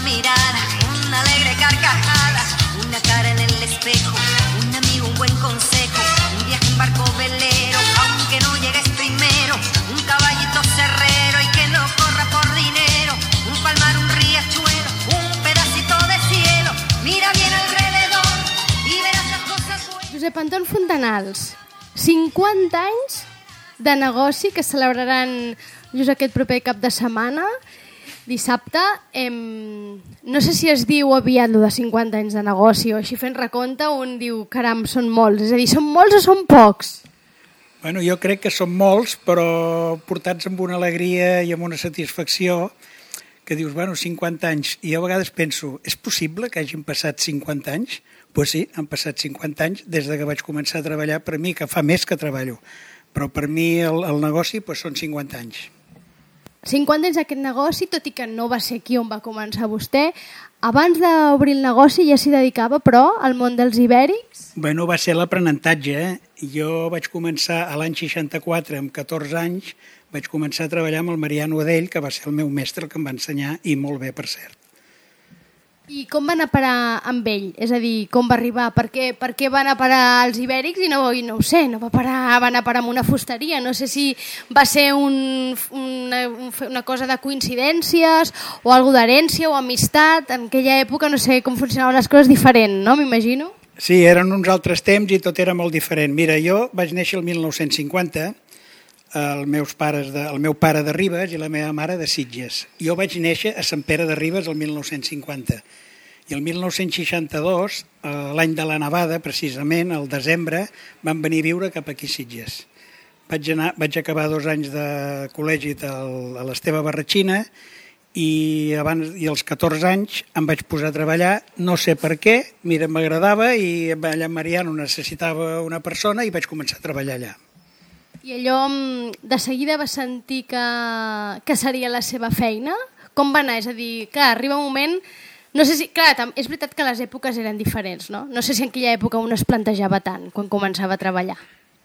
mirada, una alegre carcajada, una cara en el espejo, un amigo, un buen consejo, un viaje en barco velero, aunque no llegues primero, un caballito cerrero y que no corra por dinero, un palmar, un riachuelo, un pedacito de cielo, mira bien alrededor y verás las cosas buenas. Josep Anton Fontanals, 50 anys de negoci que celebraran just aquest proper cap de setmana, dissabte. No sé si es diu aviat lo de 50 anys de negoci o així fent recompte un diu, caram, són molts. És a dir, són molts o són pocs? Bueno, jo crec que són molts, però portats amb una alegria i amb una satisfacció que dius, bueno, 50 anys. I jo a vegades penso, és possible que hagin passat 50 anys? Doncs sí, han passat 50 anys des que vaig començar a treballar per mi, que fa més que treballo. Però per mi el negoci són 50 anys. 50 anys d'aquest negoci, tot i que no va ser aquí on va començar vostè. Abans d'obrir el negoci ja s'hi dedicava, però, al món dels ibèrics? Bueno, va ser l'aprenentatge. Jo vaig començar a l'any 64, amb 14 anys, vaig començar a treballar amb el Mariano Adell, que va ser el meu mestre, el que em va ensenyar, i molt bé, per cert. I com va anar a parar amb ell? És a dir, com va arribar? Per què va anar a parar als ibèrics i no ho sé, va anar a parar amb una fusteria? No sé si va ser una cosa de coincidències o algo d'herència o amistat. En aquella època no sé com funcionaven les coses diferent, no? M'imagino. Sí, eren uns altres temps i tot era molt diferent. Mira, jo vaig néixer el 1950, el meu pare de Ribes i la meva mare de Sitges. Jo vaig néixer a Sant Pere de Ribes el 1950 i el 1962, l'any de la nevada, precisament, al desembre, vam venir a viure cap aquí a Sitges. Vaig acabar 2 anys de col·legi a l'Esteve Barratxina i als 14 anys em vaig posar a treballar, no sé per què, mira, m'agradava i allà en Mariano necessitava una persona i vaig començar a treballar allà. I allò de seguida va sentir que seria la seva feina? Com va anar? És a dir, clar, arriba un moment... No sé si... Clar, és veritat que les èpoques eren diferents, no? No sé si en aquella època un es plantejava tant quan començava a treballar.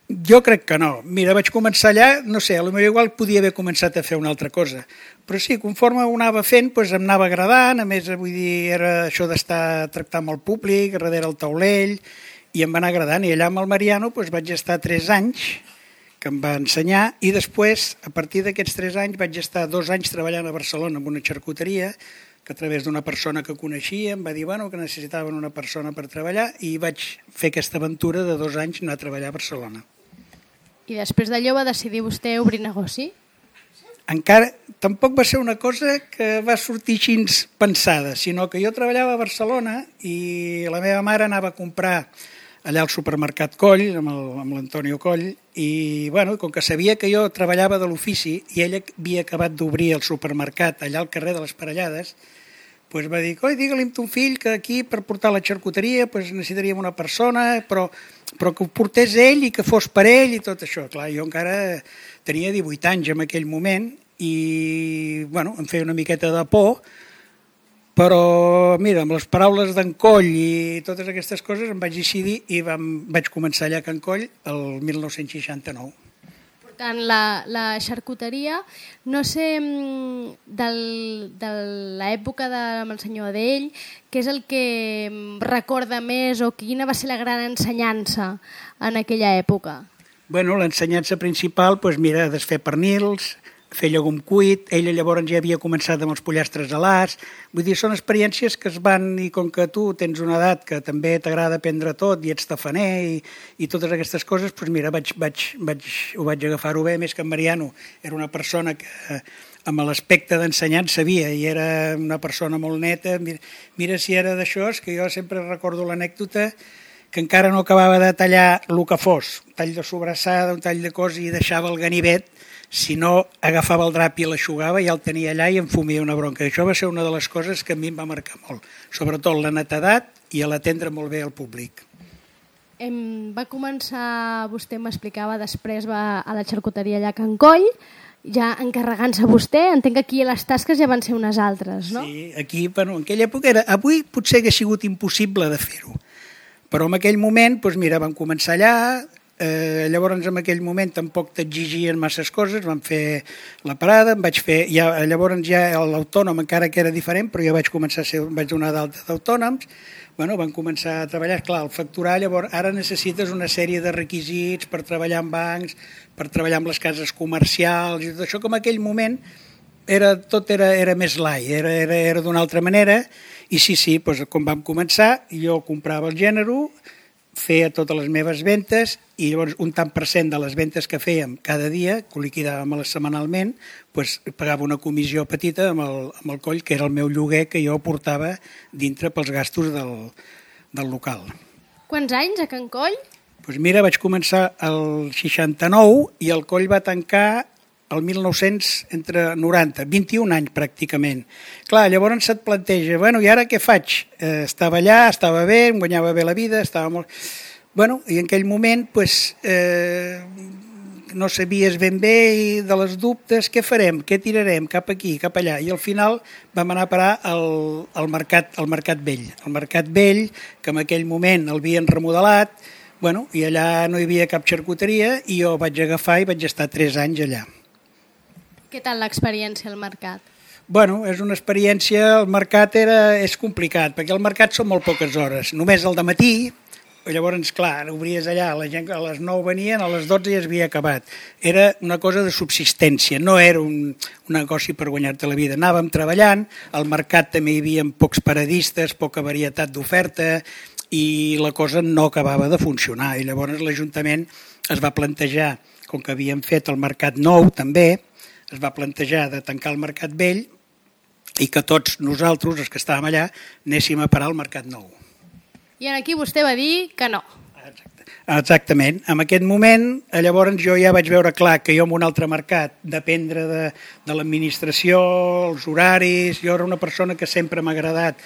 Jo crec que no. Mira, vaig començar allà, no sé, potser igual podia haver començat a fer una altra cosa. Però sí, conforme ho anava fent, doncs em anava agradant, a més, vull dir, era això d'estar tractant amb el públic, darrere el taulell, i em va anar agradant. I allà amb el Mariano doncs vaig estar 3 anys, que em va ensenyar, i després, a partir d'aquests 3 anys, vaig estar 2 anys treballant a Barcelona amb una xarcuteria, que a través d'una persona que coneixia em va dir que necessitaven una persona per treballar i vaig fer aquesta aventura de 2 anys anar a treballar a Barcelona. I després d'allò va decidir vostè obrir negoci? Encara, tampoc va ser una cosa que va sortir així pensada, sinó que jo treballava a Barcelona i la meva mare anava a comprar allà al supermercat Coll, amb l'Antonio Coll, i com que sabia que jo treballava de l'ofici i ella havia acabat d'obrir el supermercat allà al carrer de les Parellades, doncs va dir, digue-li a ton fill que aquí per portar la xarcuteria necessitaríem una persona, però que ho portés ell i que fos per ell i tot això. Clar, jo encara tenia 18 anys en aquell moment i em feia una miqueta de por, però mira, amb les paraules d'en Coll i totes aquestes coses em vaig decidir i vaig començar allà a Can Coll el 1969. Portant la xarcuteria, no sé, de l'època amb el senyor Adell, què és el que recorda més o quina va ser la gran ensenyança en aquella època? L'ensenyança principal, mira, desfer pernils, fer llegum cuit, ella llavors ja havia començat amb els pollastres alats, vull dir, són experiències que es van, i com que tu tens una edat que també t'agrada aprendre tot i ets tafaner i totes aquestes coses, doncs mira, ho vaig agafar-ho bé, més que en Mariano era una persona que amb l'aspecte d'ensenyant sabia i era una persona molt neta, mira si era d'això, és que jo sempre recordo l'anècdota que encara no acabava de tallar el que fos, un tall de sobrassada, un tall de cos i deixava el ganivet, si no agafava el drap i l'aixugava ja el tenia allà i em fumia una bronca. Això va ser una de les coses que a mi em va marcar molt, sobretot la netedat i l'atendre molt bé al públic. Va començar, vostè m'explicava, després va a la xarcuteria allà a Can Coll, ja encarregant-se vostè, entenc que aquí les tasques ja van ser unes altres, no? Sí, aquí, en aquella època avui potser hauria sigut impossible de fer-ho, però en aquell moment, mira, vam començar allà, Llavors en aquell moment tampoc t'exigien masses coses, vam fer la parada, llavors ja l'autònom encara que era diferent, però ja vaig donar d'alta d'autònoms, van començar a treballar, clar, el facturar, llavors ara necessites una sèrie de requisits per treballar en bancs, per treballar amb les cases comercials i tot això, com en aquell moment tot era més light, era d'una altra manera, i sí, doncs, quan vam començar jo comprava el gènere, feia totes les meves ventes i llavors un tant per cent de les ventes que fèiem cada dia, que ho liquidàvem setmanalment, doncs pagava una comissió petita amb el coll, que era el meu lloguer que jo portava dintre pels gastos del local. Quants anys a Can Coll? Doncs mira, vaig començar el 69 i el coll va tancar el 1990, 21 anys pràcticament. Clar, llavors se't planteja, i ara què faig? Estava allà, estava bé, em guanyava bé la vida, estava molt... I en aquell moment no sabies ben bé de les dubtes, què farem, què tirarem, cap aquí, cap allà. I al final vam anar a parar al Mercat Vell. El Mercat Vell, que en aquell moment el havien remodelat, i allà no hi havia cap xarcuteria i jo vaig agafar i vaig estar 3 anys allà. Què tal l'experiència al mercat? És una experiència, el mercat és complicat, perquè el mercat són molt poques hores, només al dematí, llavors, clar, obries allà, la gent a les 9 venien, a les 12 ja s'havia acabat. Era una cosa de subsistència, no era un negoci per guanyar-te la vida. Anàvem treballant, al mercat també hi havia pocs paradistes, poca varietat d'oferta, i la cosa no acabava de funcionar. I llavors l'Ajuntament es va plantejar, com que havíem fet el Mercat Nou també, es va plantejar de tancar el Mercat Vell i que tots nosaltres, els que estàvem allà, anéssim a parar al Mercat Nou. I aquí vostè va dir que no. Exactament. En aquest moment, llavors jo ja vaig veure clar que jo en un altre mercat, dependre de l'administració, els horaris, jo era una persona que sempre m'ha agradat,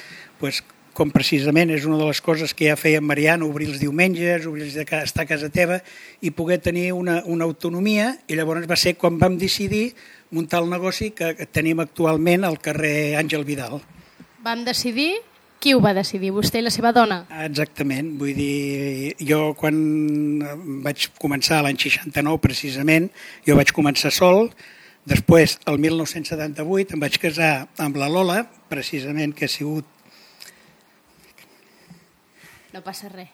com precisament és una de les coses que ja feia en Mariano, obrir els diumenges, estar a casa teva i poder tenir una autonomia, i llavors va ser quan vam decidir muntar el negoci que tenim actualment al carrer Àngel Vidal. Vam decidir? Qui ho va decidir? Vostè i la seva dona? Exactament, vull dir, jo quan vaig començar l'any 69 precisament, jo vaig començar sol, després el 1978 em vaig casar amb la Lola, precisament que ha sigut... No passa res.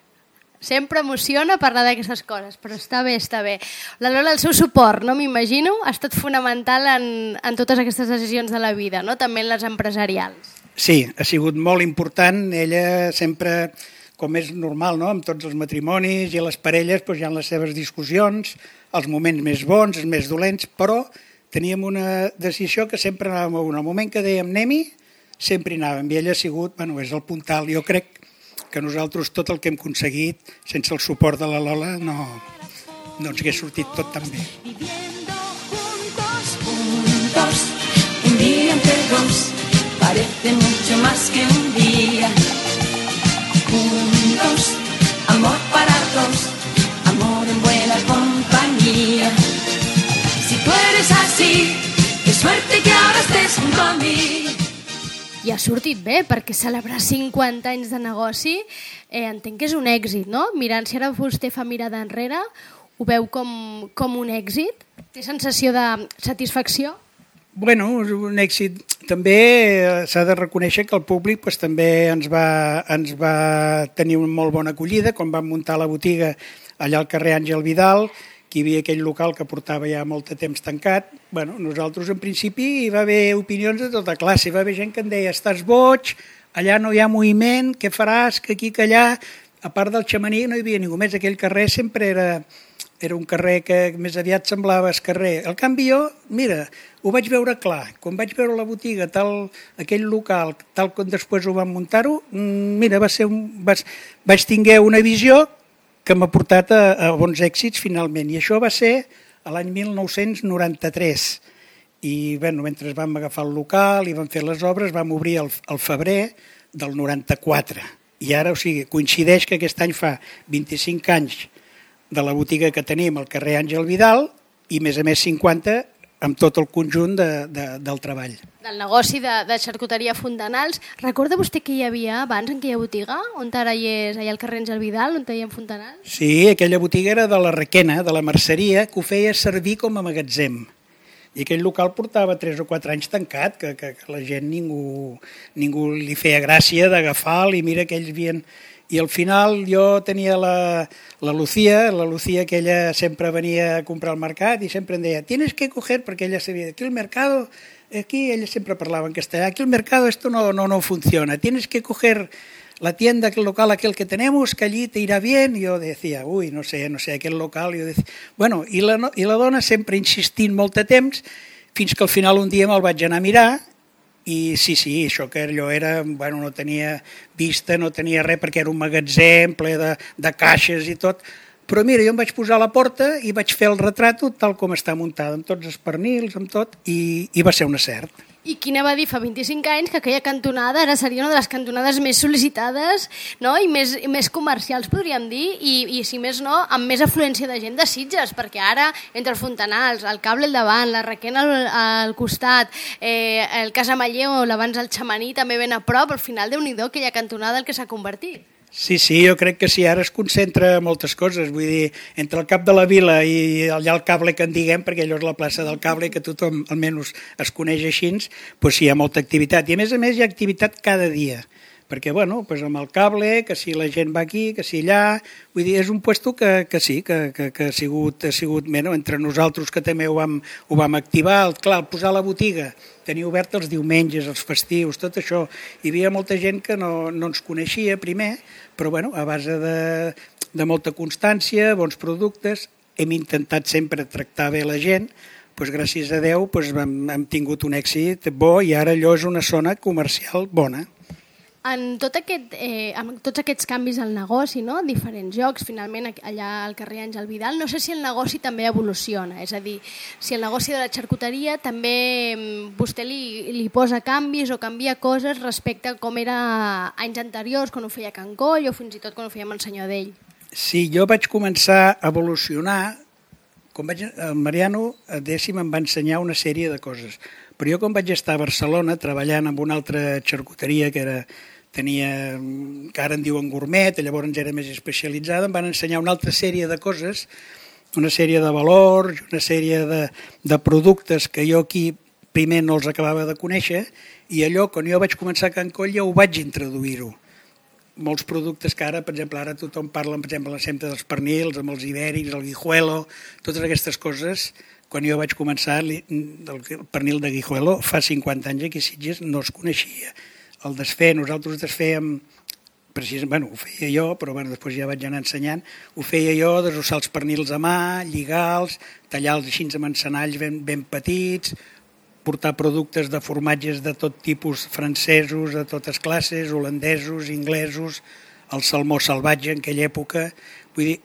Sempre emociona parlar d'aquestes coses, però està bé, està bé. La Lola, el seu suport, no m'imagino, ha estat fonamental en totes aquestes decisions de la vida, no? També en les empresarials. Sí, ha sigut molt important. Ella sempre, com és normal, no? Amb tots els matrimonis i les parelles hi ha les seves discussions, els moments més bons, els més dolents, però teníem una decisió que sempre anàvem a un. Al moment que dèiem anem-hi, sempre hi anàvem. I ella ha sigut, és el puntal. Jo crec que nosaltres tot el que hem aconseguit sense el suport de la Lola no ens hagués sortit tot tan bé. Viviendo juntos, un día entre dos, parece mucho más que un día. Juntos, amor para dos, amor en buena compañía. Si tú eres así, qué suerte que ahora estés junto a mí. I ha sortit bé, perquè celebrar 50 anys de negoci entenc que és un èxit, no? Mirant, si ara vostè fa mirada enrere, ho veu com un èxit? Té sensació de satisfacció? És un èxit. També s'ha de reconèixer que el públic també ens va tenir una molt bona acollida quan vam muntar la botiga allà al carrer Àngel Vidal, que hi havia aquell local que portava ja molt de temps tancat. Nosaltres en principi hi va haver opinions de tota classe, hi va haver gent que em deia estàs boig, allà no hi ha moviment, què faràs, que aquí, que allà. A part del xamaní no hi havia ningú més, aquell carrer sempre era un carrer que més aviat semblava el carrer. Al canvi jo, mira, ho vaig veure clar, quan vaig veure la botiga, aquell local, tal com després ho vam muntar-ho, mira, vaig tinguer una visió que m'ha portat a bons èxits finalment. I això va ser l'any 1993. I mentre vam agafar el local i vam fer les obres, vam obrir el febrer del 94. I ara, coincideix que aquest any fa 25 anys de la botiga que tenim al carrer Àngel Vidal i, a més 50, amb tot el conjunt del treball. Del negoci de xarcuteria Fontanals. Recorda vostè que hi havia abans en aquella botiga, on ara hi és allà al carrer Àngel Vidal, on hi ha Fontanals? Sí, aquella botiga era de la Requena, de la merceria, que ho feia servir com a magatzem. I aquell local portava 3 o 4 anys tancat, que la gent ningú li feia gràcia d'agafar-lo, i mira que ells havien... I al final jo tenia la Lucía que ella sempre venia a comprar al mercat i sempre em deia, tienes que coger, perquè ella sabia, aquí el mercado, aquí ella sempre parlava en castellà, aquí el mercado esto no funciona, tienes que coger la tienda, el local aquel que tenemos, que allí te irá bien. I jo decía, uy, no sé, aquell local. I jo decía, bueno, i la dona sempre insistint molt de temps, fins que al final un dia me'l vaig anar a mirar. I sí, això que allò era, bueno, no tenia vista, no tenia res, perquè era un magatzem ple de caixes i tot. Però mira, jo em vaig posar a la porta i vaig fer el retrato tal com està muntada, amb tots els pernils, amb tot, i va ser un acert. I quina va dir fa 25 anys que aquella cantonada ara seria una de les cantonades més sol·licitades, no? I més comercials, podríem dir, i si més no, amb més afluència de gent de Sitges, perquè ara, entre els Fontanals, el Cable al davant, la Requena al costat, el Casamaller o l'abans el Xamaní també ben a prop, al final déu-n'hi-do aquella cantonada el que s'ha convertit. Sí, jo crec que sí, ara es concentra moltes coses, vull dir, entre el cap de la vila i allà el Cable que en diguem, perquè allò és la plaça del Cable, que tothom almenys es coneix així, doncs sí, hi ha molta activitat. I a més hi ha activitat cada dia, perquè bueno, doncs amb el Cable, que si la gent va aquí, que si allà, vull dir, és un puesto que sí, que ha sigut bueno, entre nosaltres que també ho vam activar, clar, posar la botiga, tenir obert els diumenges, els festius, tot això. Hi havia molta gent que no ens coneixia primer, però bueno, a base de molta constància, bons productes, hem intentat sempre tractar bé la gent, doncs gràcies a Déu hem tingut un èxit bo i ara allò és una zona comercial bona. En tots aquests canvis al negoci, no? Diferents jocs, finalment allà al carrer Àngel Vidal, no sé si el negoci també evoluciona, és a dir, si el negoci de la xarcuteria també vostè li posa canvis o canvia coses respecte a com era anys anteriors, quan ho feia a Can Coll o fins i tot quan ho feia amb el senyor Dell. Sí, jo vaig començar a evolucionar, el Mariano Dècim em va ensenyar una sèrie de coses, però jo quan vaig estar a Barcelona treballant amb una altra xarcuteria que ara en diuen gourmet, llavors era més especialitzada, em van ensenyar una altra sèrie de coses, una sèrie de valors, una sèrie de productes que jo aquí primer no els acabava de conèixer, i allò, quan jo vaig començar a Can Coll, ja ho vaig introduir-ho. Molts productes que ara, per exemple, ara tothom parla, per exemple, sempre dels pernils, amb els ibèrics, el guijuelo, totes aquestes coses. Quan jo vaig començar, el pernil de guijuelo, fa 50 anys aquí a Sitges no es coneixia. El desfer, nosaltres desfèiem, precisament, ho feia jo, però després ja vaig anar ensenyant, ho feia jo, desossar els pernils a mà, lligar-los, tallar-los així amb encenalls ben petits, portar productes de formatges de tot tipus, francesos, de totes classes, holandesos, inglesos, el salmó salvatge en aquella època, vull dir,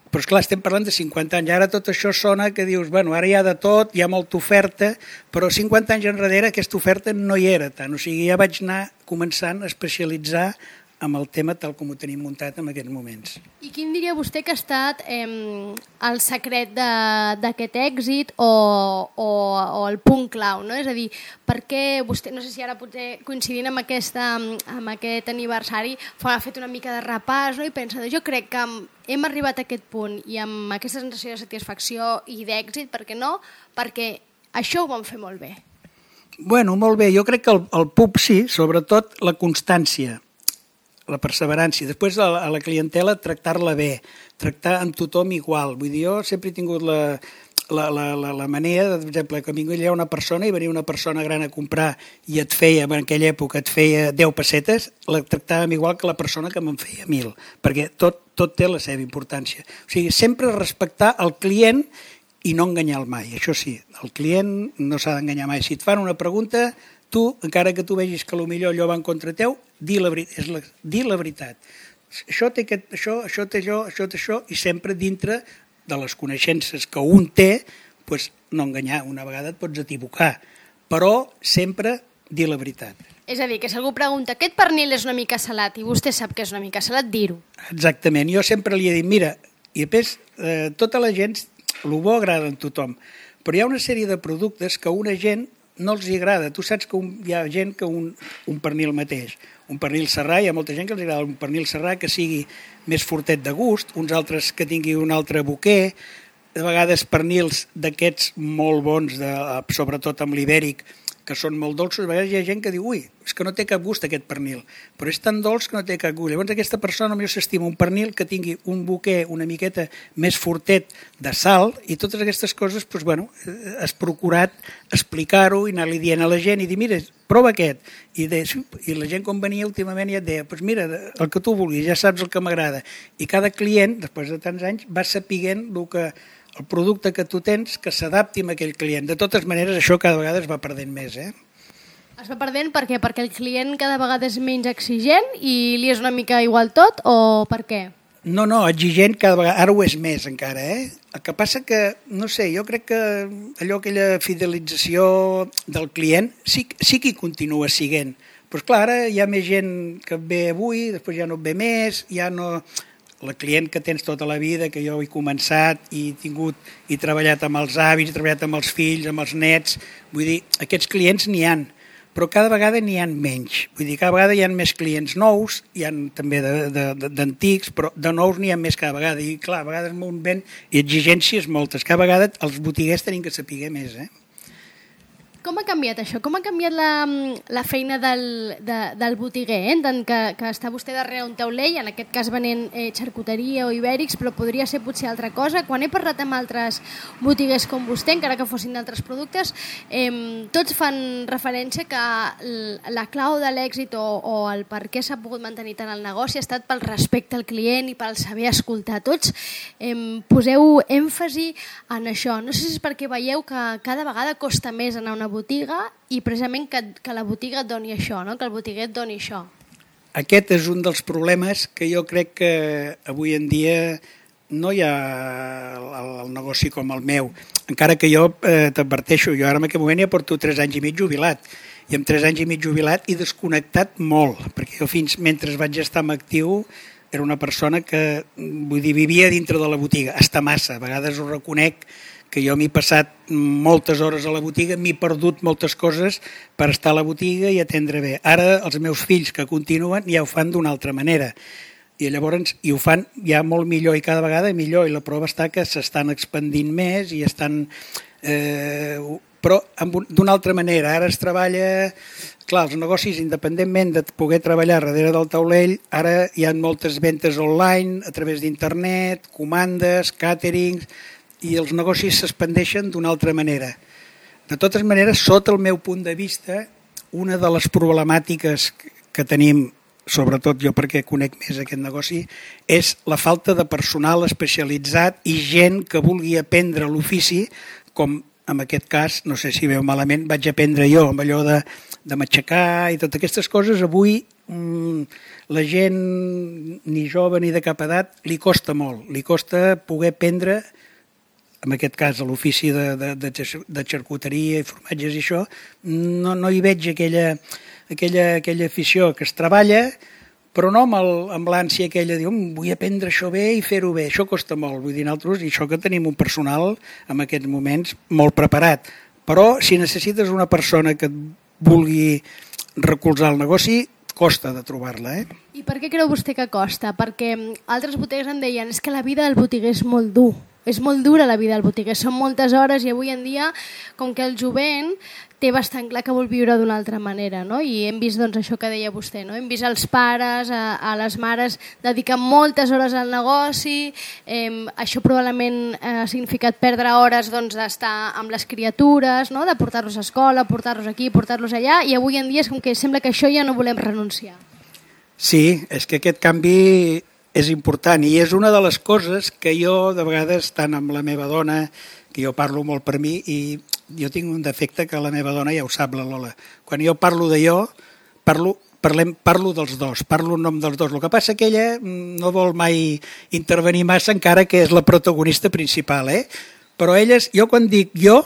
però esclar, estem parlant de 50 anys, ara tot això sona que dius, bueno, ara hi ha de tot, hi ha molta oferta, però 50 anys enrere aquesta oferta no hi era tant, o sigui, ja vaig anar començant a especialitzar amb el tema tal com ho tenim muntat en aquests moments. I quin diria vostè que ha estat el secret d'aquest èxit o el punt clau, no? És a dir, per què vostè, no sé si ara potser coincidint amb aquest aniversari, ha fet una mica de repàs, no? I pensa, jo crec que hem arribat a aquest punt i amb aquesta sensació de satisfacció i d'èxit, per què no? Perquè això ho vam fer molt bé. Bueno, molt bé, jo crec que el pub sí, sobretot la constància, la perseverància. Després a la clientela tractar-la bé, tractar amb tothom igual. Vull dir, jo sempre he tingut la manera, per exemple, que vingués una persona i venia una persona gran a comprar i et feia, en aquella època et feia 10 pessetes, la tractàvem igual que la persona que me'n feia 1.000, perquè tot té la seva importància. O sigui, sempre respectar el client i no enganyar-lo mai. Això sí, el client no s'ha d'enganyar mai. Si et fan una pregunta, tu, encara que tu vegis que potser allò va en contra teu, dir la veritat. Això té això, això té allò, això té això, i sempre dintre de les coneixences que un té, doncs no enganyar. Una vegada et pots equivocar, però sempre dir la veritat. És a dir, que si algú pregunta aquest pernil és una mica salat i vostè sap que és una mica salat, dir-ho. Exactament. Jo sempre li he dit, mira, i després tota la gent, el bo agrada a tothom, Però hi ha una sèrie de productes que a una gent no els agrada. Tu saps que hi ha gent que un pernil mateix, un pernil serrà, hi ha molta gent que els agrada un pernil serrà que sigui més fortet de gust, uns altres que tingui un altre boquer, de vegades pernils d'aquests molt bons, sobretot amb l'ibèric, que són molt dolços, a vegades hi ha gent que diu ui, és que no té cap gust aquest pernil, però és tan dolç que no té cap gust. Llavors aquesta persona potser s'estima un pernil que tingui un boquer una miqueta més fortet de sal i totes aquestes coses, doncs, bueno, has procurat explicar-ho i anar-li dient a la gent i dir, mira, prova aquest. I la gent quan venia últimament ja et deia, doncs mira, el que tu vulguis, ja saps el que m'agrada. I cada client, després de tants anys, va sapiguent el producte que tu tens que s'adapti a aquell client. De totes maneres, això cada vegada es va perdent més, Es va perdent per què? Perquè el client cada vegada és menys exigent i li és una mica igual tot, o per què? No, exigent cada vegada, ara ho és més encara, El que passa que, no sé, jo crec que aquella fidelització del client sí que hi continua siguent. Però clar, ara hi ha més gent que et ve avui, després ja no et ve més, ja no... La client que tens tota la vida, que jo he començat i he treballat amb els avis, he treballat amb els fills, amb els nets, vull dir, aquests clients n'hi han, però cada vegada n'hi han menys. Vull dir, cada vegada hi ha més clients nous, hi ha també d'antics, però de nous n'hi ha més cada vegada. I clar, a vegades un vent i exigències moltes. Cada vegada els botiguers tenim que saber més, Com ha canviat això? Com ha canviat la feina del botiguer? Tant que està vostè darrere un taulell, en aquest cas venent xarcuteria o ibèrics, però podria ser potser altra cosa. Quan he parlat amb altres botiguers com vostè, encara que fossin d'altres productes, tots fan referència que la clau de l'èxit o el per què s'ha pogut mantenir tant el negoci ha estat pel respecte al client i pel saber escoltar. Tots poseu èmfasi en això. No sé si és perquè veieu que cada vegada costa més anar a una botiga i precisament que la botiga et doni això, no? Que el botiguer et doni això. Aquest és un dels problemes que jo crec que avui en dia no hi ha el negoci com el meu. Encara que jo t'adverteixo, jo ara en aquest moment ja porto 3 anys i mig jubilat. I amb 3 anys i mig jubilat he desconnectat molt, perquè jo fins mentre vaig estar en actiu era una persona que, vull dir, vivia dintre de la botiga, hasta massa. A vegades ho reconec que jo m'he passat moltes hores a la botiga, m'he perdut moltes coses per estar a la botiga i atendre bé. Ara els meus fills que continuen ja ho fan d'una altra manera i llavors ho fan ja molt millor i cada vegada millor, i la prova està que s'estan expandint més i estan... però d'una altra manera. Ara es treballa... Clar, els negocis, independentment de poder treballar darrere del taulell, ara hi ha moltes ventes online, a través d'internet, comandes, càterings, i els negocis s'expandeixen d'una altra manera. De totes maneres, sota el meu punt de vista, una de les problemàtiques que tenim, sobretot jo perquè conec més aquest negoci, és la falta de personal especialitzat i gent que vulgui aprendre l'ofici, com en aquest cas, no sé si veu malament, vaig aprendre jo amb allò de matxacar i totes aquestes coses. Avui la gent, ni jove ni de cap edat, li costa molt, li costa poder aprendre, en aquest cas a l'ofici de xarcuteria i formatges i això, no hi veig aquella afició que es treballa, però no amb l'ànsia aquella de dir vull aprendre això bé i fer-ho bé, això costa molt. Vull dir, nosaltres, i això que tenim un personal en aquests moments molt preparat, però si necessites una persona que et vulgui recolzar el negoci, costa de trobar-la. I per què creu vostè que costa? Perquè altres botiguers em deien és que la vida del botiguer és molt dur. És molt dura la vida del botiguer, són moltes hores i avui en dia, com que el jovent té bastant clar que vol viure d'una altra manera, no? I hem vist doncs, això que deia vostè, no? Hem vist els pares, a les mares dedicar moltes hores al negoci, això probablement ha significat perdre hores doncs, d'estar amb les criatures, no? De portar-los a escola, portar-los aquí, portar-los allà, i avui en dia és com que sembla que això ja no volem renunciar. Sí, és que aquest canvi és important i és una de les coses que jo de vegades, tant amb la meva dona, que jo parlo molt per mi, i jo tinc un defecte que la meva dona ja ho sap, la Lola. Quan jo parlo de jo, parlo dels dos, parlo en nom dels dos. El que passa que ella no vol mai intervenir massa, encara que és la protagonista principal, Però elles, jo quan dic jo,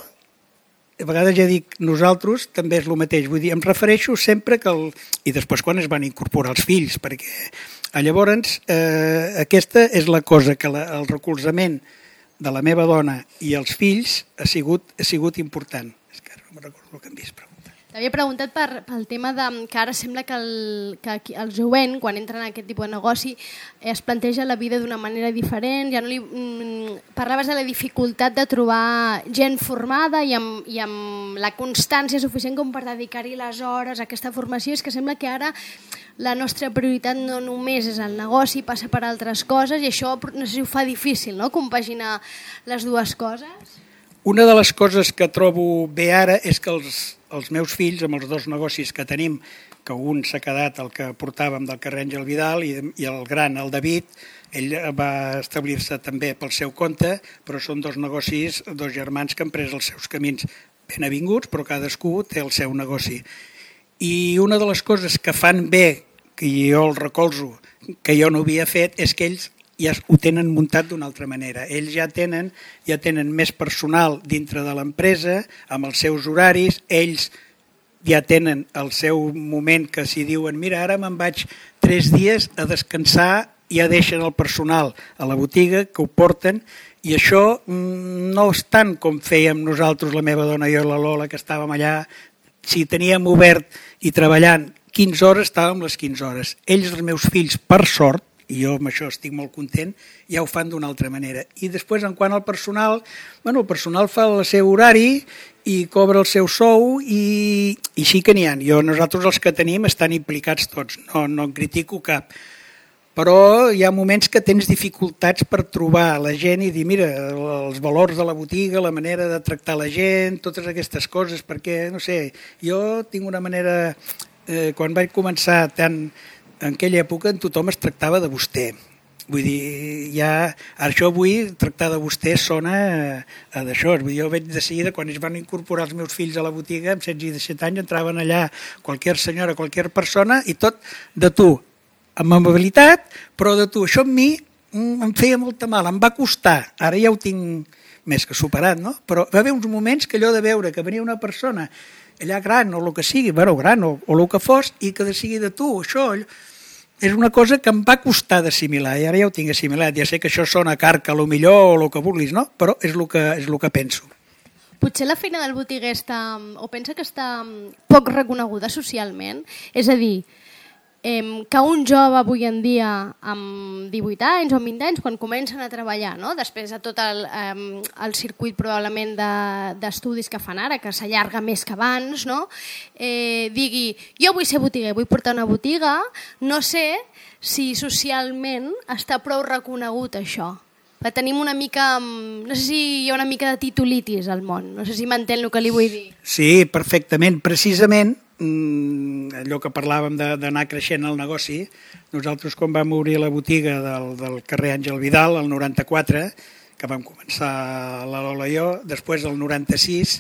a vegades ja dic nosaltres, també és el mateix. Vull dir, em refereixo sempre que... I després quan es van incorporar els fills, perquè llavors aquesta és la cosa, que el recolzament de la meva dona i els fills ha sigut important. És que ara no me'n recordo el que em vist preguntar. T'havia preguntat pel tema que ara sembla que el jovent, quan entra en aquest tipus de negoci, es planteja la vida d'una manera diferent. Ja no parlaves de la dificultat de trobar gent formada i amb la constància suficient com per dedicar-hi les hores a aquesta formació. És que sembla que ara la nostra prioritat no només és el negoci, passa per altres coses, i això no sé si ho fa difícil, no?, compaginar les dues coses. Una de les coses que trobo bé ara és que els meus fills, amb els dos negocis que tenim, que un s'ha quedat el que portàvem del carrer Àngel Vidal i el gran, el David, ell va establir-se també pel seu compte, però són dos negocis, dos germans que han pres els seus camins ben avinguts, però cadascú té el seu negoci. I una de les coses que fan bé, que jo el recolzo, que jo no havia fet, és que ells ja ho tenen muntat d'una altra manera. Ells ja tenen més personal dintre de l'empresa, amb els seus horaris, ells ja tenen el seu moment que si diuen mira, ara me'n vaig 3 dies a descansar, ja deixen el personal a la botiga, que ho porten, i això no és tant com fèiem nosaltres, la meva dona i jo, la Lola, que estàvem allà. Si teníem obert i treballant 15 hores, estàvem les 15 hores. Ells, els meus fills, per sort, i jo amb això estic molt content, ja ho fan d'una altra manera. I després, en quant al personal, el personal fa el seu horari i cobra el seu sou i sí que n'hi ha. Nosaltres els que tenim estan implicats tots, no en critico cap. Però hi ha moments que tens dificultats per trobar la gent i dir, mira, els valors de la botiga, la manera de tractar la gent, totes aquestes coses, perquè, no sé, jo tinc una manera... Quan vaig començar en aquella època tothom es tractava de vostè. Vull dir, això avui tractar de vostè sona a d'això. Jo veig de seguida, quan es van incorporar els meus fills a la botiga, amb 16 i 17 anys, entraven allà qualsevol senyora, qualsevol persona, i tot de tu, amb amabilitat, però de tu. Això a mi em feia molta mal, em va costar. Ara ja ho tinc més que superat, no? Però va haver uns moments que allò de veure que venia una persona allà gran o el que sigui, gran o el que fos, i que de sigui de tu, això és una cosa que em va costar d'assimilar, i ara ja ho tinc assimilat. Ja sé que això sona carca, a lo millor, o el que vulguis, no? Però és el que penso. Potser la feina del botiguer pensa que està poc reconeguda socialment? És a dir, que un jove avui en dia amb 18 anys o amb 20 anys, quan comencen a treballar, no? Després de tot el circuit probablement d'estudis que fan ara, que s'allarga més que abans, no? Digui, jo vull ser botiguer, vull portar una botiga, no sé si socialment està prou reconegut això. Tenim una mica, no sé si hi ha una mica de titulitis al món, no sé si m'entén el que li vull dir. Sí, perfectament. Precisament, allò que parlàvem d'anar creixent el negoci, nosaltres quan vam obrir la botiga del carrer Àngel Vidal, el 94, que vam començar la Lola i jo, després el 96,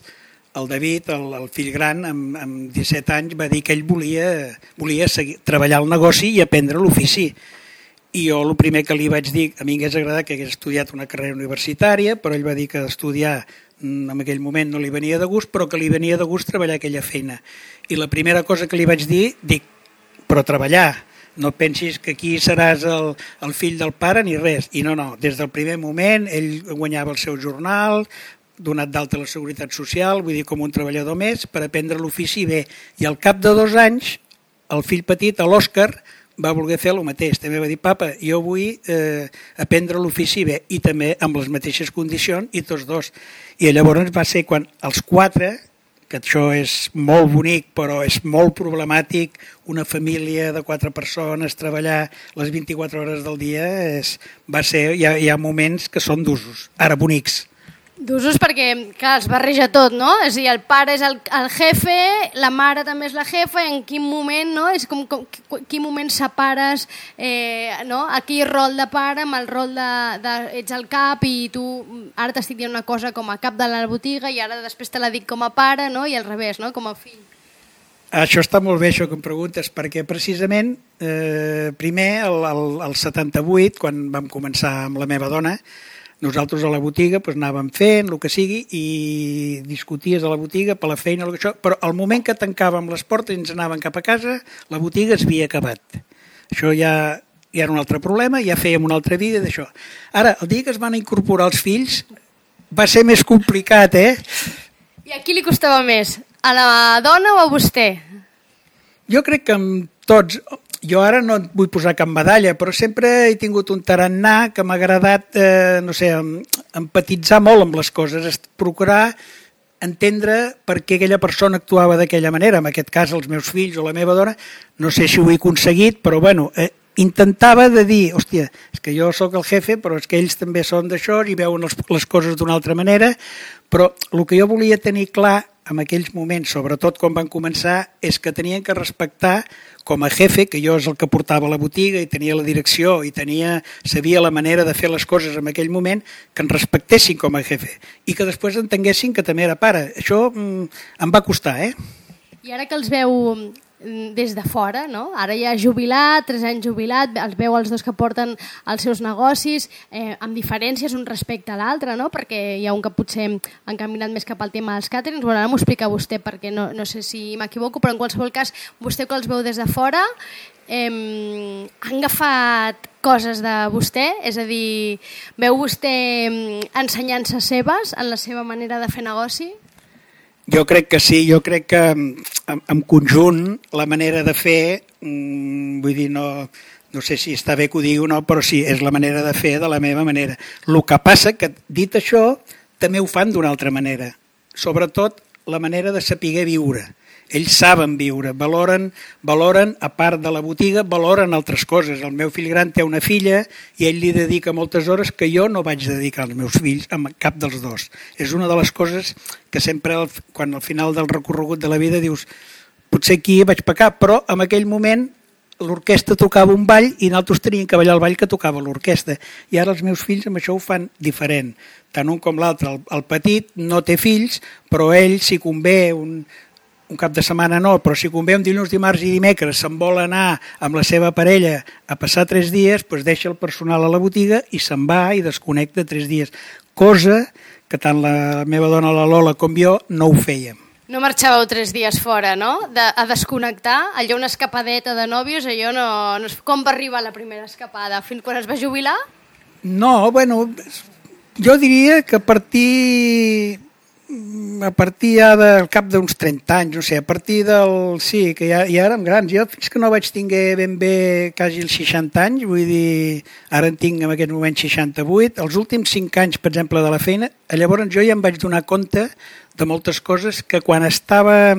el David, el fill gran, amb 17 anys, va dir que ell volia seguir, treballar el negoci i aprendre l'ofici. I jo el primer que li vaig dir, a mi m'hagués agradat que hagués estudiat una carrera universitària, però ell va dir que estudiar en aquell moment no li venia de gust, però que li venia de gust treballar aquella feina. I la primera cosa que li vaig dir, però treballar, no pensis que aquí seràs el fill del pare ni res. I no, des del primer moment ell guanyava el seu jornal, donat d'alta a la Seguretat Social, vull dir, com un treballador més, per aprendre l'ofici bé. I al cap de 2 anys, el fill petit, l'Òscar, va voler fer el mateix. També va dir, papa, jo vull aprendre l'ofici bé, i també amb les mateixes condicions, i tots dos. I llavors va ser quan els 4, que això és molt bonic, però és molt problemàtic, una família de 4 persones, treballar les 24 hores del dia, hi ha moments que són d'usos, ara bonics. D'usos perquè, clar, es barreja tot, no? És a dir, el pare és el jefe, la mare també és la jefa, i en quin moment, no? És com quin moment separes aquí rol de pare amb el rol de ets el cap i tu ara t'estic dient una cosa com a cap de la botiga i ara després te la dic com a pare, no? I al revés, no? Com a fill. Això està molt bé, això que em preguntes, perquè precisament primer, el 78, quan vam començar amb la meva dona, nosaltres a la botiga anàvem fent el que sigui i discuties a la botiga per la feina, però al moment que tancàvem les portes i ens anàvem cap a casa, la botiga es havia acabat. Això ja ja era un altre problema, ja fèiem una altra vida d'això. Ara, el dia que es van incorporar els fills va ser més complicat, I a qui li costava més? A la dona o a vostè? Jo crec que amb tots, jo ara no et vull posar cap medalla, però sempre he tingut un tarannà que m'ha agradat, empatitzar molt amb les coses, procurar entendre per què aquella persona actuava d'aquella manera, en aquest cas els meus fills o la meva dona, no sé si ho he aconseguit, però bueno, intentava de dir, hòstia, és que jo sóc el jefe, però és que ells també són d'això i veuen les coses d'una altra manera, però el que jo volia tenir clar en aquells moments, sobretot quan van començar, és que tenien que respectar com a jefe, que jo és el que portava la botiga i tenia la direcció i sabia la manera de fer les coses en aquell moment, que em respectessin com a jefe i que després entenguessin que també era pare. Això em va costar, I ara que els veu des de fora, no? Ara ja jubilat, 3 anys jubilat, els veu els dos que porten els seus negocis, amb diferències un respecte a l'altre, no? Perquè hi ha un que potser han caminat més cap al tema dels càterings. Bueno, ara m'ho explica vostè perquè no sé si m'equivoco, però en qualsevol cas, vostè que els veu des de fora, han agafat coses de vostè? És a dir, veu vostè ensenyances seves en la seva manera de fer negoci? Jo crec que sí, jo crec que en conjunt la manera de fer, vull dir, no sé si està bé que ho digui o no, però sí, és la manera de fer de la meva manera. El que passa que, dit això, també ho fan d'una altra manera, sobretot la manera de saber viure. Ells saben viure, valoren, a part de la botiga, valoren altres coses. El meu fill gran té una filla i ell li dedica moltes hores que jo no vaig dedicar als meus fills, amb cap dels dos. És una de les coses que sempre, quan al final del recorregut de la vida dius, potser aquí vaig pecar, però en aquell moment l'orquestra tocava un ball i nosaltres teníem que ballar el ball que tocava l'orquestra. I ara els meus fills amb això ho fan diferent. Tant un com l'altre. El petit no té fills, però ell, si convé, un cap de setmana no, però si convé un dilluns, dimarts i dimecres se'n vol anar amb la seva parella a passar 3 dies, doncs deixa el personal a la botiga i se'n va i desconnecta 3 dies. Cosa que tant la meva dona, la Lola, com jo, no ho fèiem. No marxàveu 3 dies fora, no? A desconnectar, allò una escapadeta de nòvios, allò no... Com va arribar la primera escapada? Fins quan es va jubilar? No, bueno, jo diria que a partir ja del cap d'uns 30 anys, no sé, a partir del... Sí, que ja érem grans. Jo fins que no vaig tinguer ben bé quasi els 60 anys, vull dir, ara en tinc en aquest moment 68, els últims 5 anys, per exemple, de la feina, llavors jo ja em vaig donar compte de moltes coses que quan estava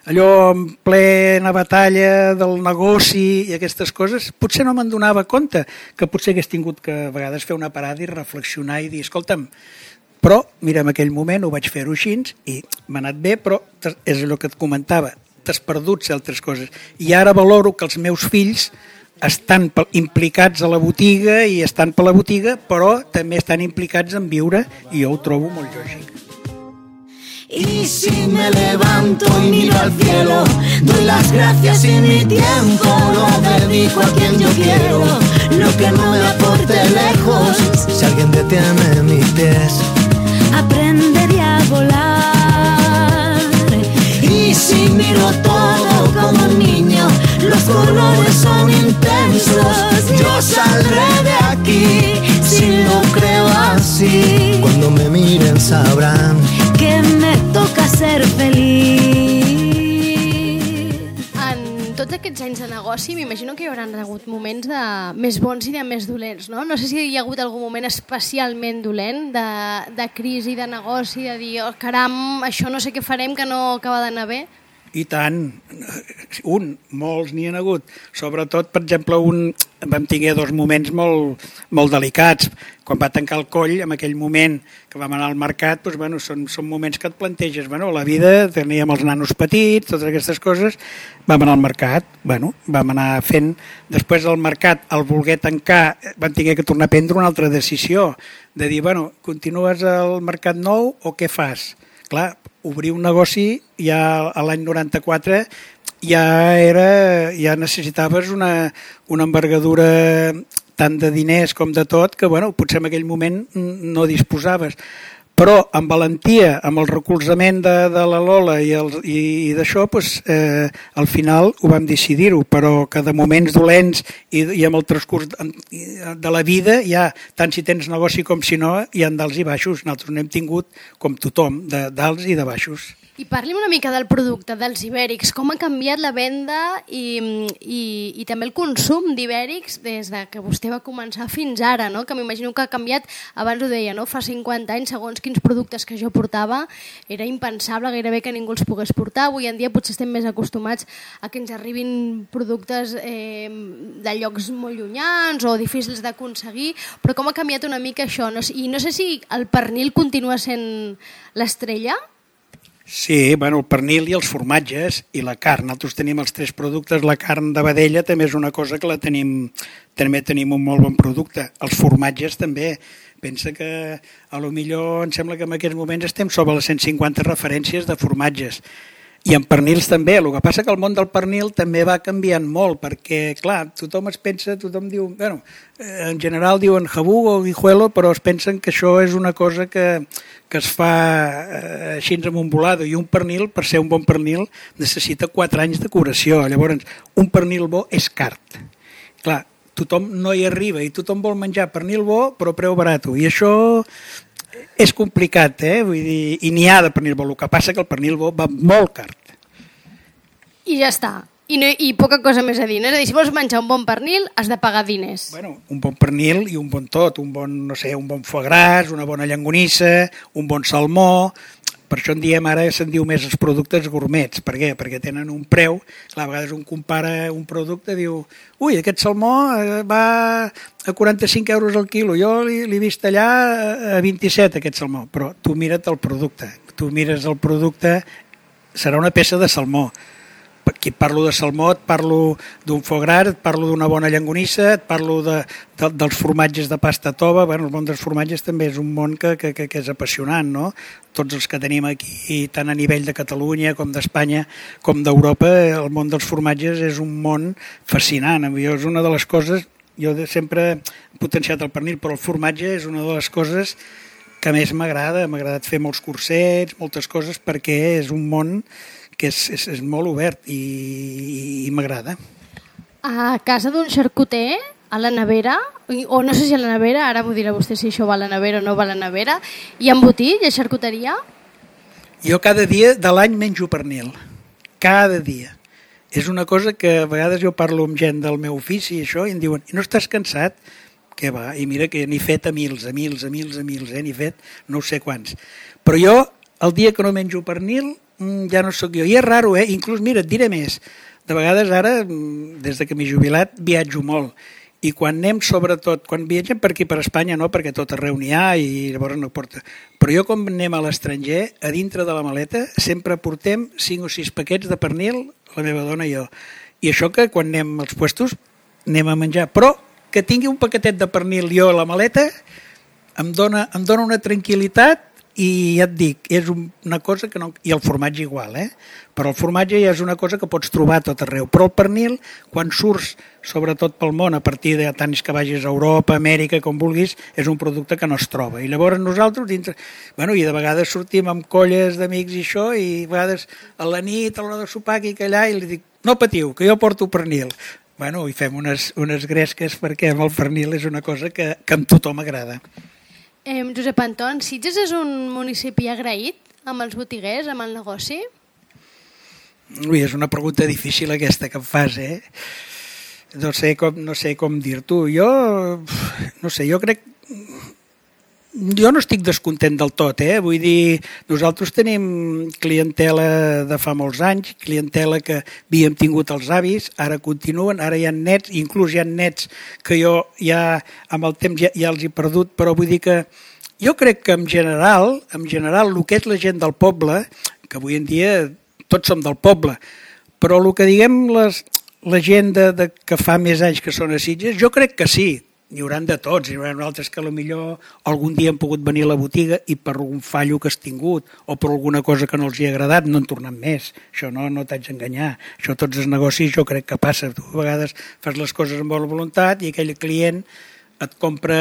allò en plena batalla del negoci i aquestes coses, potser no me'n donava compte, que potser hagués tingut que a vegades fer una parada i reflexionar i dir, escolta'm, però, mira, en aquell moment ho vaig fer-ho així i m'ha anat bé, però és allò que et comentava, t'has perdut altres coses. I ara valoro que els meus fills estan implicats a la botiga i estan per la botiga, però també estan implicats en viure i jo ho trobo molt lògic. Y si me levanto y miro al cielo, doy las gracias y mi tiempo lo dedico a quien yo quiero. Lo que no me aporte lejos, si alguien detiene mis pies, aprendería a volar. Y si miro todo como un niño, los colores son intensos. Yo saldré de aquí si lo creo así. Cuando me miren sabrán que me toca ser feliz. En tots aquests anys de negoci m'imagino que hi haurà hagut moments de més bons i de més dolents, no? No sé si hi ha hagut algun moment especialment dolent de crisi, de negoci, de dir, oh, caram, això no sé què farem, que no acaba d'anar bé. I tant, molts n'hi ha hagut. Sobretot, per exemple, vam tenir 2 moments molt delicats. Quan va tancar el coll, en aquell moment que vam anar al mercat, doncs, bueno, són moments que et planteges. Bueno, la vida, teníem els nanos petits, totes aquestes coses, vam anar al mercat, bueno, vam anar fent... Després del mercat, al voler tancar, vam tenir que tornar a prendre una altra decisió, de dir, bueno, continues al mercat nou o què fas? Clar, obrir un negoci ja a l'any 94 ja necessitaves una envergadura tant de diners com de tot que bueno, potser en aquell moment no disposaves. però amb valentia, amb el recolzament de la Lola i d'això, doncs, al final ho vam decidir-ho, però que de moments dolents i amb el transcurs de la vida, ja, tant si tens negoci com si no, hi ha d'alts i baixos. Nosaltres n'hem tingut, com tothom, d'alts i de baixos. I parli'm una mica del producte, dels ibèrics. Com ha canviat la venda i també el consum d'ibèrics des de que vostè va començar fins ara, no? Que m'imagino que ha canviat, abans ho deia, no? Fa 50 anys, segons quins productes que jo portava, era impensable gairebé que ningú els pogués portar. Avui en dia potser estem més acostumats a que ens arribin productes de llocs molt llunyans o difícils d'aconseguir, però com ha canviat una mica això? I no sé si el pernil continua sent l'estrella? Sí, bueno, el pernil i els formatges i la carn. Nosaltres tenim els 3 productes. La carn de vedella també és una cosa que també tenim un molt bon producte. Els formatges també. Pensa que a lo millor em sembla que en aquests moments estem sobre les 150 referències de formatges. I en pernils també. El que passa que el món del pernil també va canviant molt, perquè, clar, tothom es pensa, tothom diu, bueno, en general diuen jabú o guijuelo, però es pensen que això és una cosa que es fa així amb un volado, i un pernil, per ser un bon pernil, necessita 4 anys de curació. Llavors, un pernil bo és car. Clar, tothom no hi arriba i tothom vol menjar pernil bo, però a preu barat. I això és complicat, vull dir, i n'hi ha de pernil bo. El que passa que el pernil bo va molt car. I ja està. I poca cosa més a dir. És a dir, si vols menjar un bon pernil, has de pagar diners. Bueno, un bon pernil i un bon tot, un bon foie gras, una bona llonganissa, un bon salmó. Per això en diem, ara se'n diu més els productes gourmets. Per què? Perquè tenen un preu. Clar, a vegades un compara un producte i diu, ui, aquest salmó va a 45 euros al quilo, jo l'he vist allà a 27 aquest salmó. Però tu mira't el producte. Tu mires el producte, serà una peça de salmó. Aquí et parlo de salmó, et parlo d'un foie gras, et parlo d'una bona llonganissa, et parlo dels formatges de pasta tova. Bueno, el món dels formatges també és un món que és apassionant, no? Tots els que tenim aquí, tant a nivell de Catalunya com d'Espanya com d'Europa, el món dels formatges és un món fascinant. Jo és una de les coses, jo sempre he potenciat el pernil, però el formatge és una de les coses que més m'agrada. M'ha agradat fer molts cursets, moltes coses, perquè és un món que és molt obert i m'agrada. A casa d'un xarcuter, a la nevera, o no sé si a la nevera, ara m'ho dirà vostè si això va a la nevera o no va a la nevera, hi ha embotit, hi ha xarcuteria? Jo cada dia de l'any menjo pernil. Cada dia. És una cosa que a vegades jo parlo amb gent del meu ofici i això, i em diuen, i no estàs cansat? Què va? I mira que n'he fet a mils, n'he fet no sé quants. Però jo, el dia que no menjo pernil, ja no sóc jo. I és raro, inclús, mira, et diré més. De vegades ara, des que m'he jubilat, viatjo molt. I quan anem, sobretot, quan viatgem per aquí, per Espanya, no, perquè tot arreu n'hi ha i llavors no porta. Però jo, quan anem a l'estranger, a dintre de la maleta, sempre portem 5 o 6 paquets de pernil, la meva dona i jo. I això que quan anem als puestos anem a menjar. Però que tingui un paquetet de pernil jo a la maleta em dona una tranquil·litat. I ja et dic, és una cosa que no... I el formatge igual, però el formatge ja és una cosa que pots trobar a tot arreu. Però el pernil, quan surts, sobretot pel món, a partir de tant que vagis a Europa, Amèrica, com vulguis, és un producte que no es troba. I llavors nosaltres, dintre... Bueno, i de vegades sortim amb colles d'amics i això, i a vegades a la nit, a l'hora de sopar, aquí i allà, i li dic, no patiu, que jo porto pernil. Bueno, i fem unes gresques perquè amb el pernil és una cosa que amb tothom agrada. Josep Anton, Sitges és un municipi agraït amb els botiguers, amb el negoci? Ui, és una pregunta difícil aquesta que em fas, No sé com dir-t'ho. Jo crec... Jo no estic descontent del tot, Vull dir, nosaltres tenim clientela de fa molts anys, clientela que havíem tingut els avis, ara continuen, ara hi ha nets, inclús hi ha nets que jo ja amb el temps ja els he perdut, però vull dir que jo crec que en general, el que és la gent del poble, que avui en dia tots som del poble, però el que diguem la gent que fa més anys que són a Sitges, jo crec que sí. N'hi hauran de tots, hi haurà altres que potser algun dia han pogut venir a la botiga i per algun fallo que has tingut o per alguna cosa que no els hi ha agradat no en tornen més. Això no t'haig d'enganyar. Això tots els negocis jo crec que passa. Tu a vegades fas les coses amb bona voluntat i aquell client et compra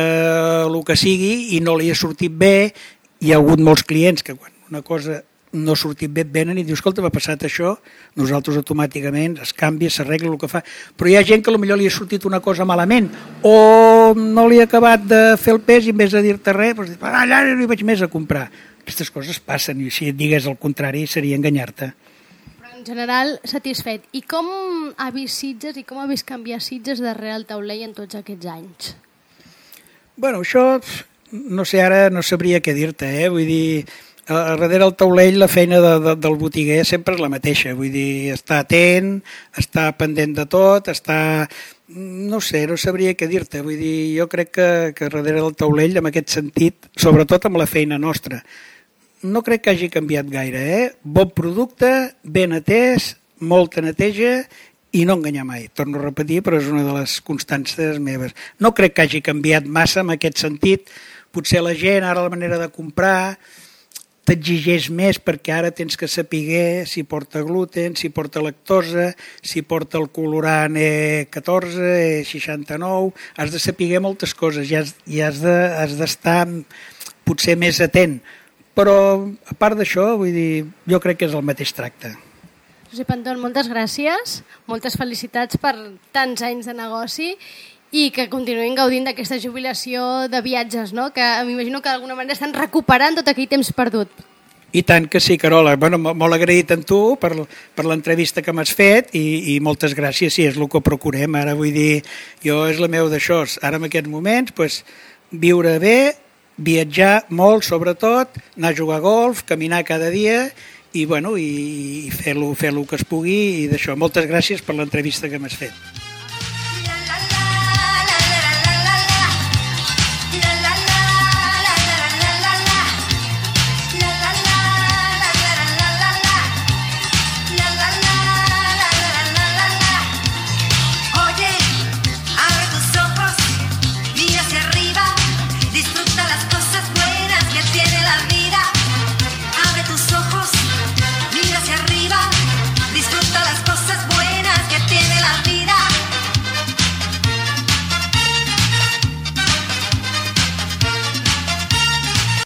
el que sigui i no li ha sortit bé hi ha hagut molts clients que quan una cosa no ha sortit bé, venen i diu, escolta, m'ha passat això, nosaltres automàticament es canvia, s'arregla el que fa, però hi ha gent que potser li ha sortit una cosa malament o no li ha acabat de fer el pes i en vez de dir-te res, doncs, allà no hi vaig més a comprar. Aquestes coses passen i si et digués el contrari seria enganyar-te. Però en general, satisfet. I com ha vist Sitges i com ha vist canviar Sitges darrere el taulell en tots aquests anys? Bueno, això, no sé, ara no sabria què dir-te, vull dir, darrere el taulell la feina del botiguer sempre és la mateixa, vull dir, estar atent, estar pendent de tot, estar... No sé, no sabria què dir-te, vull dir, jo crec que darrere del taulell, en aquest sentit, sobretot amb la feina nostra, no crec que hagi canviat gaire, Bon producte, ben atès, molta neteja i no enganyar mai. Torno a repetir, però és una de les constàncies meves. No crec que hagi canviat massa en aquest sentit. Potser la gent, ara la manera de comprar, t'exigeix més perquè ara tens que saber si porta gluten, si porta lactosa, si porta el colorant E14, E69, has de saber moltes coses i has d'estar potser més atent. Però a part d'això, vull dir, jo crec que és el mateix tracte. Josep Anton, moltes gràcies, moltes felicitats per tants anys de negoci i que continuïn gaudint d'aquesta jubilació de viatges, no? Que m'imagino que d'alguna manera estan recuperant tot aquell temps perdut. I tant que sí, Carola. Bueno, molt agraït a tu per l'entrevista que m'has fet i moltes gràcies, sí, és el que procurem. Ara vull dir, jo és la meva d'això. Ara en aquests moments, pues, viure bé, viatjar molt sobretot, anar a jugar a golf, caminar cada dia i, bueno, i fer el que es pugui i d'això. Moltes gràcies per l'entrevista que m'has fet.